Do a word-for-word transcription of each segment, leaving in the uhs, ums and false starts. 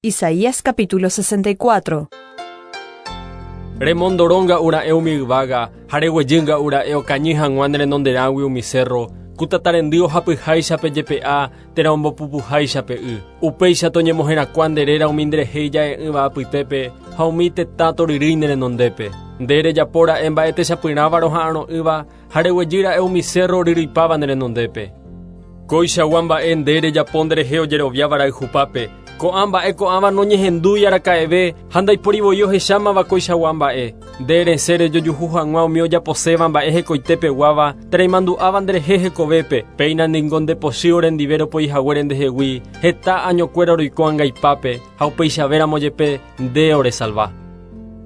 Isaías capítulo sesenta y cuatro. Remondoronga ura'e umi yvága ha reguejýnga ura'e okañy hag̃ua ne renonderãgui umi cerro, ku tatarendy ohapyháicha pe jepe'a térã ombopupuháicha pe y. Upéicha toñemoherakuã nde réra umi nderehe ija'e'ỹva apytépe ha umi tetã toryrýi ne renondépe. Nde rejapóra'e mba'e techapyrãva roha'arõ'ỹva ha reguejýra'e umi cerro oryryipáva ne renondépe. Koichagua mba'e nde rejapo nderehe ojeroviáva rayhupápe. Ko'ã mba'e ko'ãva noñehendúi araka'eve ha ndaipórivoi ohechámava koichagua mba'e. Nde resẽ rejojuhu hag̃ua umi ojaposéva mba'e hekoitepeguáva térã imandu'áva nderehe hekovépe. Péina ningo ndepochy orendive ropoihaguére ndehegui heta añokuéra roiko angaipápe ha upeichavéramo jepe nde oresalva.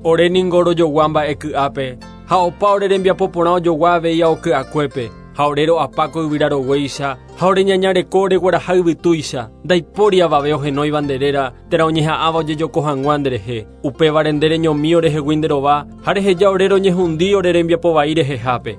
Ore ningo rojogua mba'e ky'ápe ha opa ore rembiapo porã ojogua avei aoky'akuépe. Ha ore ro'apáko yvyra roguéicha ha ore ñañareko oregueraha yvytúicha. Ndaipóri avave ohenóiva nde réra térã oñeha'ãva ojejoko hag̃ua nderehe. Upévare nde reñomi orehegui nde rova ha reheja ore roñehundi ore rembiapo vai rehehápe.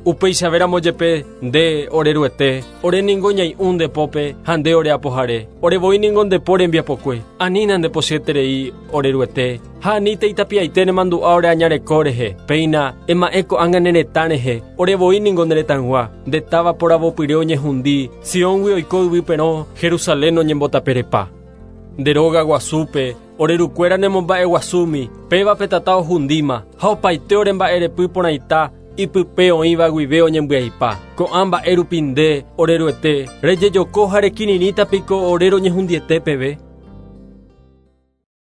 Upeichavéramo jepe nde ore ruete, ore ningo ñai'ũ nde pópe ha nde ore apohare. Ore voi ningo nde po rembiapokue. Anína ndepochyeterei ore ruete ha aníte itapiaite nemandu'a ore añareko rehe. Péina ema'ẽ ko'ág̃a ne retã rehe. Ore voi ningo ne retãygua. Nde táva poravopyre oñehundi. Sióngui oiko yvy perõ, Jerusalén oñembotaperepa. Nde róga guasúpe ore rukuéra nemomba'eguasúmi. Péva pe tata ohundíma ha opaite ore mba'erepy porãita ipype oĩva guive oñembyaipa. Ko'ã mba'e rupi nde ore ruete rejejoko ha rekirirĩta piko ore roñehundiete peve.